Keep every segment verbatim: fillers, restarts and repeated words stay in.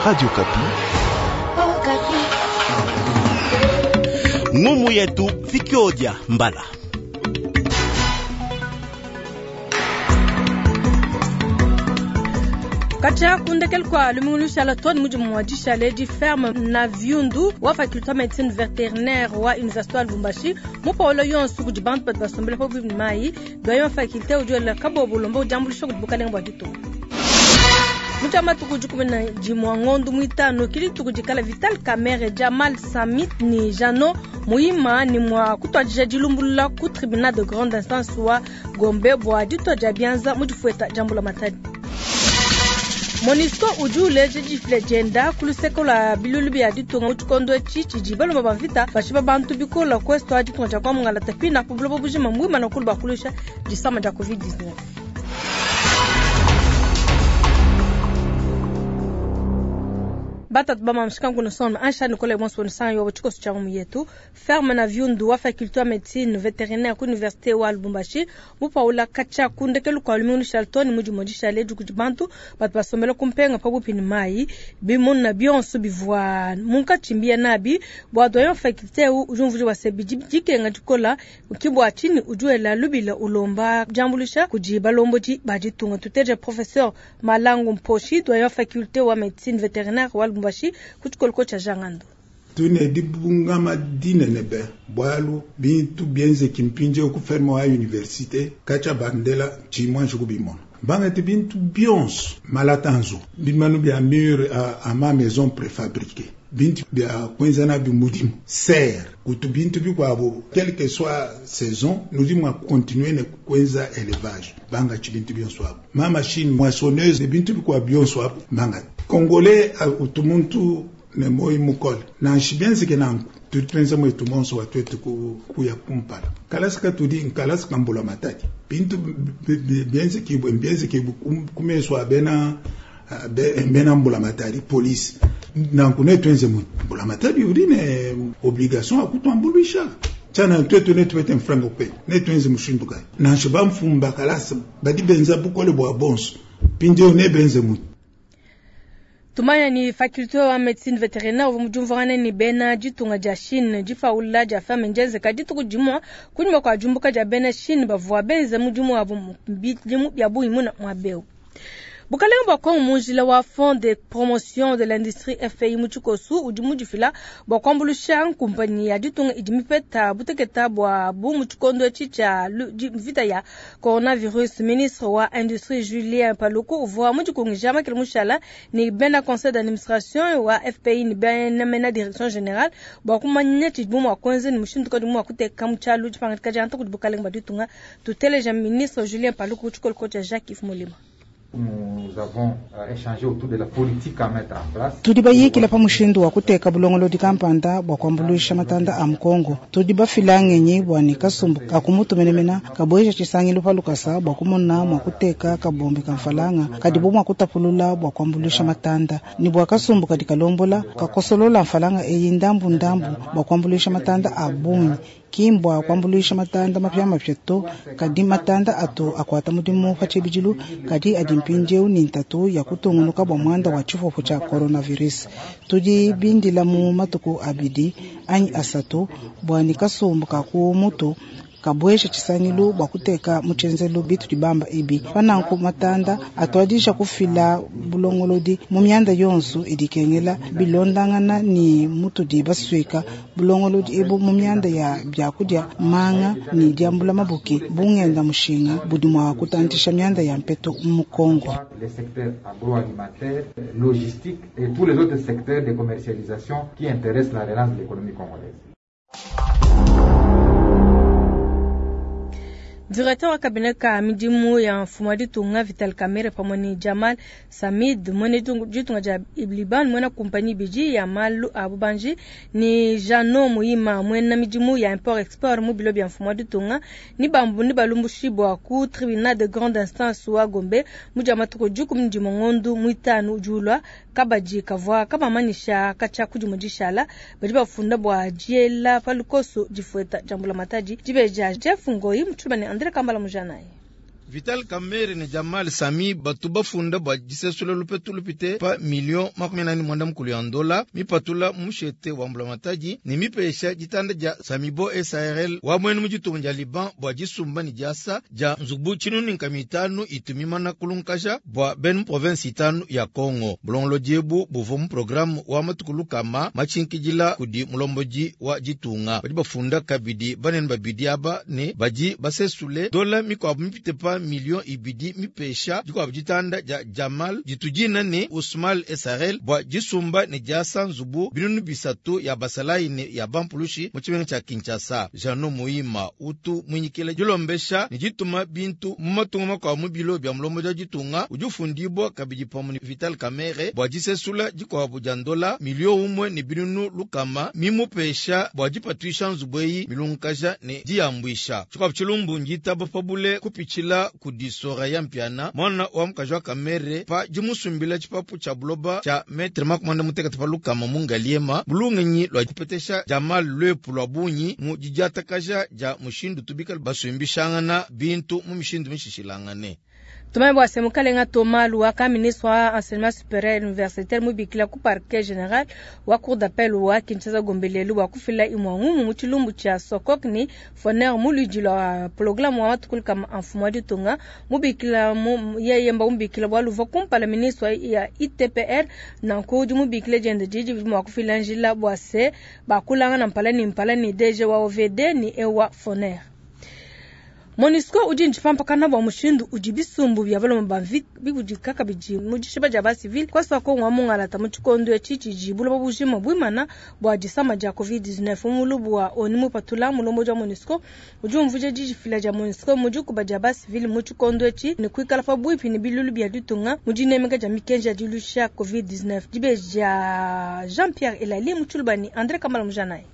Radio Kapi. Ngumu yetu Fikiodia Mbala. Katshia kundekelu kua lumingu lushala tony mudimu wa dishale di ferme na viundu wa faculté médecine vétérinaire wa université wa Lubumbashi mupaolo yonso kudi bantu badi basombela pabuipi ne mayi doyen wa faculté udi wela kabobo ulomba udiambuluisha kudi bukalenga bua ditunga. Mu matuku dikumi na dimua ngondu muitanu kili dituku dikala Vital Kamerhe, Jamal Samit ni Jano Muima ni mwa kutuadija dilumbulula ku tribunal de grande instance wa Gombe bua ditua dia bianza mu difueta dia mbula matadi. MONUSCO udi uleja difila dienda ku luseke lua bilulu bia ditunga mu tshikondo etshi tshidi balomba ba mvita bashipa bantu bikola ku est wa ditunga dia Kwamongala pina ku buloba bujima muimana kulu bakuluisha disama dia covid dix-neuf. Batatu ba mamshika nguno sono ansha Nicole Bonso nsanga yo tshikoso tsha mu yetu ferme na viundu wa faculté ya médecine vétérinaire ku université wa Lubumbashi mupaula katshia kundekelu kwa lumingu Charlton mudimu dishale dikudi bantu batu basombela kumpenga pabupi ni mai bimuna bionso bivua munkatshimbia nabi bua doyen faculté u ujumvuji wa sebidi dikenga dikola ukibwa chini ujuela lubila ulomba jambulisha kudi balombodi ba ditunga tuteje professeur Malangu Mposhi doyen faculté wa médecine vétérinaire wa Lubumbashi kuchikoloko cha Jangando. Tune dibungama dinene be bwalu bintu bienze kimpinje ku ferme wa université kacha bandela chimwa shukubimona bangati bintu bionso malatanzo bimanu bya mur a, a ma maison préfabriquée bintu bya kwenza na bimudimu ser kutu bintu bikwabo quelle que soit saison nous dimwa continuer ne kwenza élevage banga chi bintu bionso abo ma machine moissonneuse bintu bikwa bionso abo banga congolais utumuntu ne moi mukole na nshibianzike nanku tupenza mwetu monso watwetu kuya kumpala kalasi katudi nkalasi kambula matadi bintu bienzekibwe mbienzekibwe kumeswa bena bena mbula matadi police nanku netwenze mu mbula matadi udi ne obligation akutwambulwisha tshana twetu netupete mfranga kwe netwenze mushindu kai nansha bamfumba kalasi badi benza bukole bwa bonso pindio ne benze mu Tumaya ni faculté wa médecine vétérinaire uvua mujumvangane ni bena ditunga dia Chine difaula dia ferme njenzeka dituku dimua kunyuma kua diumbuka dia bena Chine bavua benze mudimu wabu bidimu bia bungi muna mua beu. Bukalenga bua Kongo munjila wa Fonds de promotion de l'industrie F P I mu tshikosu udi mudifila bua kuambuluisha nkumpanyi ya ditunga idi mipeta buteketa bua bu mu tshikondo etshi tshia mvita ya coronavirus. Ministre wa industrie Julien Paluku uvua mudikungija makele mushala ni bena conseil d'administration wa F P I ni bena mena direction générale bua kumanya tshidi mua kuenza ni mushindu kadi mua kuteka mu tshialu tshipangadika dia nta kudi bukalenga bua ditunga. Tuteleja ministre Julien Paluku ku tshikolo tshia Jacques Yves Molima. Nous avons échangé autour de la politique à mettre en place. Tudi bayikila pa mushindu wa kuteka bulongolodi kampanda bua kuambuluisha matanda a Mukongo. Tudi bafila ngenyi bua ne kasumbu ka kumutumenemena kabueja tshisangilu pa lukasa bua kumona mua kuteka kabombe ka mfalanga kadi bo mua kutapulula bua kuambuluisha matanda ni bua kasumbu kadi kalombola kakosolola mfalanga eyi ndambu ndambu bua kuambuluisha matanda a bungi. Kimbwa kuambuluisha matanda mapya mapya to kadi matanda atu akwata mudimu pa tshibidilu kadi adi mpindieu ni ntatu ya kutungunuka bua muanda wa tshifufu tshia coronavirus. Tudi bindila mu matuku abidi anyi asatu bua ni kasumbu ka ku mutu kabuesha tshisangilu bua kuteka mu tshienzelu bitu dibamba ibi pananku matanda atuadisha kufila bulongolodi mu mianda yonso idikengela bilondangana ni mutudi baswika bulongolodi ebu mu mianda ya byakudia manga ni diambula mabuki bungenda mushinga budi mua kutantisha mianda ya mpeto mu Kongo. Les secteurs agroalimentaires, logistique et tous les autres secteurs de commercialisation qui intéressent la relance de l'économie congolaise. Directeur wa cabinet ka midimu ya mfumo wa ditunga Vital Kamerhe pamwe ni Jamal Samid mwene ditunga dia Liban mwena compagnie biji ya malu a bubanji ni Jano Muima mwena midimu ya import export mu bilo bya mfumo wa ditunga ni bambu ni balumbushi bwa ku tribunal de grande instance wa Gombe mu dia matuku dikumi ne mongondu muitanu ujulwa kabaji kavwa kabamanisha kacha kudi dishala badi bafunda bwa diela palukoso difueta jambula matadi dibeja Jeff Ngoi mutshubane André Kambala Mujanaye. Vital Kamerhe ne Jamal Sami batu bafunda bua disesula lupetu lupite pa milio makumi anayi ne muanda mukulu ya ndola mipatula mu mushete wa mbulamatadi ne mipesha ditanda dia Samibo S A R L wa muenu mu ditunga dia Liban bua disumba ne diasa dia nzubu tshinunu nkama itanu itu mimana kulunkaja bua bena mu province itanu ya Congo. Bulongolodi ebu buvua mu programme wa matuku lukama matshinkidila kudi mulombodi wa ditunga. Badi bafunda kabidi banene babidi aba ne badi basesule dola mikuabu mipite pa milio ibidi mipesha dikuabu ditanda dia Jamal ditudina ne Usmal S A R L bua disumba ne diasa nzubu binunu bisatu ya basalayi ne ya bampulushi mu tshimenga tshia Kinshasa. Jano Muima utu muinyikile dilombesha ne dituma bintu mu matunga makuabu mu bilo bia mulombodi wa ditunga udi ufundibua kabidi pamue ne Vital Kamerhe bua disesula dikuabu dia ndola milio umue ne binunu lukama mimupesha bua dipatuisha nzubu eyi milunkaja ne diyambuisha. Tshikuabu tshilumbu nditaba pabule kupitshila kudi Soraya Mpiana, mwana wa mukaji wa Kamerhe, pa dimusumbila tshipapu tshia buloba tshia metre makumi muanda mutekete pa lukama mu Ngaliema bulungenyi lua kupetesha Jamal lwepu lua bungi mu didiatakaja dia mushindu tubikala basumbishangana bintu mu mishindu mishishilangane. Tumanye bua se mukalenga Thomas Luhaka, ministre wa enseignement supérieur universitaire, mubikila ku parquet général wa cour d'appel wa Kinshasa Gombe lelu bua kufila imua ngumu mu tshilumbu tshia Socok ni Foner mu luidi lua programme wa matuku lukama a mfumu wa ditunga. Mubikila yeye mba mubikila bualu uvua kumpala ministre ya I T P R. Nanku udi mubikila diende didi mua kufila njila bua se bakulangana mpala ni mpala ni D G wa O V D ni ewa Foner. MONUSCO udi ntshipampakana bua mushindu udi bisumbu bia baloma ba mvita bikudika kabidi mu dishiba dia basivile kwasa Kongo wa mungalata mu tshikondo etshi tshidi buloba bujima buimana bua disama dia COVID dix-neuf. Mulubu wa ONU mupatula, mulombodi wa MONUSCO udi umvuija didifila dia MONUSCO mu dikuba dia basivile mu tshikondo etshi ne kuikala pabuipi ne bilulu bia ditunga mu dinemeka dia mikenji ya dilusha COVID dix-neuf. Dibeji dia Jean Pierre Elali mu tshiluba ne André Kamala Mujanayi.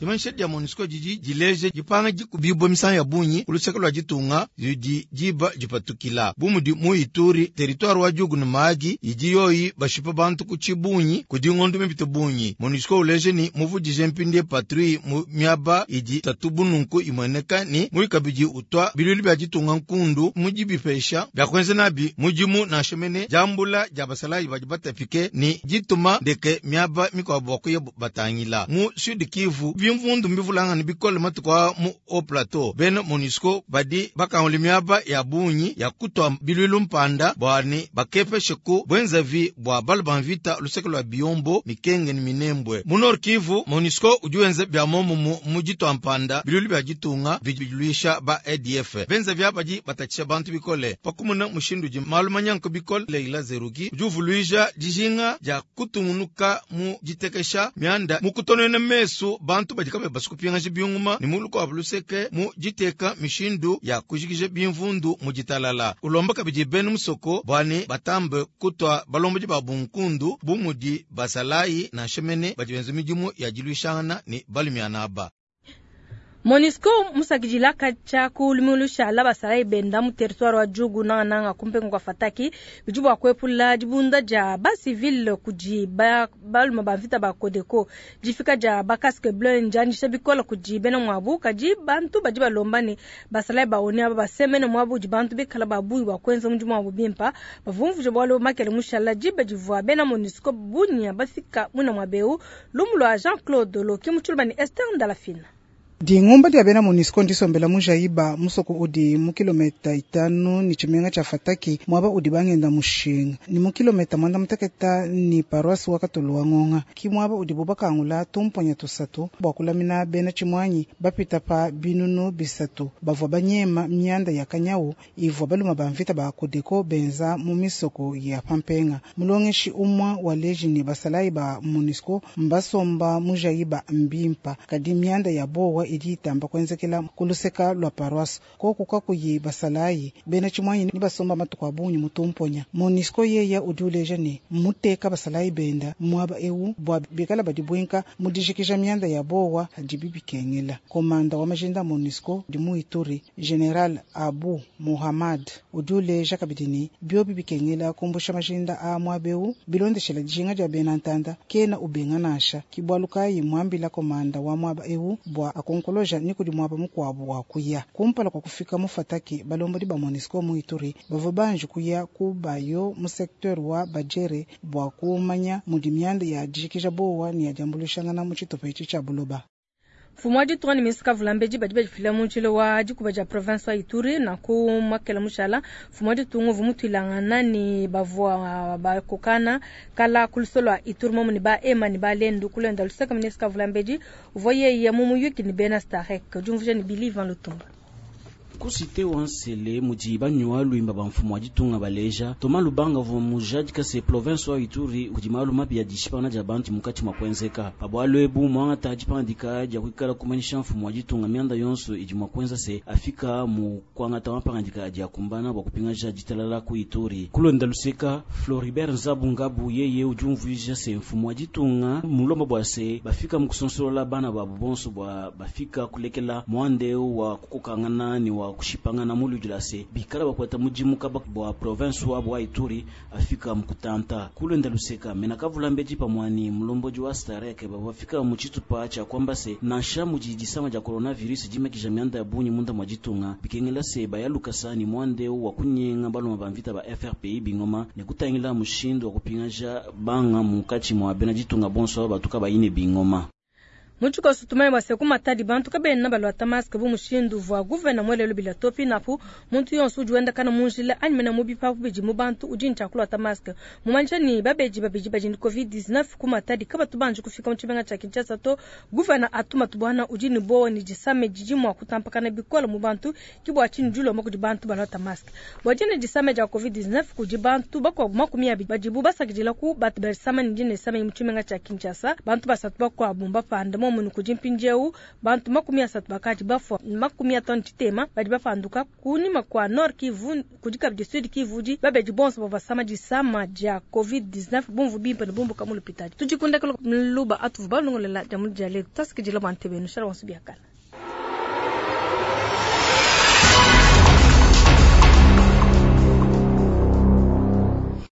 Dimanyisha dia MONUSCO didi dileja dipanga dikubibua misangu ya bungi ku luseke lua ditunga didi diba dipatukila bu mudi mu Ituri, territoire wa Djugu ne Mahagi idi yoyi bashipa bantu ku tshibungi kudi ngondo mipite bungi. MONUSCO uleja ni muvudije mpindie patrouille mu miaba idi tatu bununku imueneka ni mui kabidi utwa bilulu bia ditunga nkundu mu dibipesha bia kuenza nabi mudimu nansha mene diambula dia basalayi badi batapike ni dituma ndeke miaba mikuabu bua kuya batangila. Mu Sud Kivu bimvundu mbivulangana bikole matuku a mu Haut Plateau. Bena MONUSCO badi bakangula miaba ya bungi ya kutwa bilwilu mpanda bwani bakepeshe ku bwenzavi bua balu ba mvita luseke lua Biyombo, Mikenge ni Minembwe. Mu Nord Kivu MONUSCO udi wenza bia momumu mu ditwa mpanda bilwilu bia ditunga biluisha ba A D F. Benzavi badi batatshisha bantu bikole pakumuna mushindu udi malu manyanko bikole. Leila Zerugi udi uvuluija dijinga dia kutungunuka mu ditekesha mianda mu kutonena mesu bantu badi kabe basukupingaja biunguma ni mu lukuabu luseke mu diteka mishindu ya kujikija bimvundu mu ditalala. Ulomba kabidi bena musoko bwani batambe kutwa balombodi ba bunkundu bu mudi basalayi nansha mene badi benza midimu ya diluishangana ne balumiana aba. MONUSCO musakidila katshia ku lumilu basalayi benda mu territoire wa Djugu nangananga kumpenga kwa Fataki bidi bua kuepula dibunda dia basivile kudi balume ba mvita ba Codeco. Difika dia bacasque bleu ndianyisha bikole kudi bena muabu, kadi bantu badi balomba ne basalayi ba ONU aba basemene muabu udi bantu bikala ba bungi bua kuenza mudimu wabu bimpa. Bavumvuje bualu makele mushala diba divua bena MONUSCO bunia bafika muna muabeu. Lumu lua Jean Claude Loki mu tshiluba ne Esther Ndalafina. Dingumba dia bena MONUSCO ndisombela mujaiba musoko udi mu kilometa itanu ni tshimenga tshia Fataki muaba udi bangenda mushinga ni mu kilometa mwanda muteketa ni paroisse wa Katolo wa Ngonga ki muaba udi bubakangula tumponya tusatu bua kulamina bena tshimuanyi bapita pa binunu bisatu bavua banyema mianda ya kanyawu ivua baluma ba mvita ba Codeco benza mu misoko ya pampenga. Mulongeshi umwa wa leji ni basalayi ba MONUSCO mbasomba mujaiba mbimpa kadi mianda ya bowa idi itamba kuenzekela kuluseka lua paroisse koku kakuyi basalayi bena tshimuanyi ni basomba matuku a bungi mutumponya. MONUSCO yeya udi uleja ne muteka basalayi benda muaba ewu bua bikala badi mu dijikija mianda ya bowa hadibi bikengela. Komanda wa majinda MONUSCO di mu Ituri, General Abu Muhammad, udi uleja kabidi ne biobi bikengela kumbusha majinda a muaba ewu bilondeshela dijinga dia bena ntanda kena ubenga nansha. Ki bualu kayi muambila komanda wa muaba ewu bua akonkonone. Nkoloja ni kudi muaba mukuabu wa kuya. Kumpala kua kufika mu Fataki, balombodi ba Monusco mu Ituri bavua banji kuya ku Bayo mu secteur wa Badjere bua kumanya mudi mianda ya dijikija bowa ni ya diambuluishangana mu tshitupa etshi tshia buloba. Mfumu wa ditunga ne ministre kavulambedi badi badifila mu njila wa dikuba dia province wa Ituri. Nanku makela mushala mfumu wa ditunga uvua mutuilangana ne bavua bakokana kala ku luseke lua Ituri momu ne ba Hema ne ba Lendu. Kulenda luseke ministre kavulambedi uvua yeye mu muyuki ne bena Starek. Diumvuija ne Billy Van Lutumba. Ku cité wa Nsele mudi banywa lwimba ba mfumu wa ditunga baleja Thomas Lubanga uvua mujadika se province wa Ituri kudi malu mabi ya dishipangana dia bantu mukati mwa kuenzeka pa bualu ebu mwangata dipangandika dia kuikala kumanyisha mfumu wa ditunga mianda yonso idi mwa kuenza se afika mu kuangata mapangandika adi akumbana bua kupingaja ditalala ku Ituri. Kulonda luseka Floribert Nzabu Ngabu yeye udi umvuija se mfumu wa ditunga mulomba bua se bafika mu kusonsolola bana babu bonso bua bafika kulekela mwande wa kukokangana ni wa kushipangana muludila se bikala bakwata mudimu kaba bua province wa bwa Ituri afika mukutanta kulenda luseka mena kavula mbedi pamwani mulombodi wa Starek bafika mu tshitupa tshia kwamba se nansha mudi disama dia coronavirus dimakija mianda ya bunyi munda mwa ditunga bikengela se bayalukasa ni mwande wa kunyenga baloma ba mvita ba F R P I bingoma ne kutangila mushindu wa kupingaja banga munkatshi mwa bena ditunga bonso batuka bayine bingoma. Mu tshikoso tumanye bua se ku Matadi bantu kabena baluata masque bu mushindu uvua gouverneur muelelu bila to. Pinapu muntu yonso udi wenda kana mu njila anyi mena mu bipapu bidi mu bantu udi ne tshia kuluata masque. Mumanyisha ne babedi babidi badi ne COVID dix-neuf ku Matadi kabatu banji kufika mu tshimenga tshia Kinshasa to. Gouverneur Atou Matubuana udi ne bowa ne disame didi mua kutampakana bikole mu bantu, ke bua tshinyi dilomba kudi bantu baluata masque. Bua dine disame dia COVID dix-neuf kudi bantu bakuabu makumi abidi badibu basakidila ku batu basama ne dine disame mu tshimenga tshia Kinshasa. Bantu basatu bakuabu mbapanda momunu kudi mpindieu bantu makumi asatu bakadi bafua, makumi atanu tshitema badi bapanduka. Kunyima kua Nord Kivu kudi kabidi Sud Kivu di babedi bonso bavua basama disama dia COVID dix-neuf bumvu bimpe ne bumbuka mu lupitadi. Tudikundakelo luba atuvu balongolela dia mu dia letu tasikidila bua ntebenu shala bonso biakala.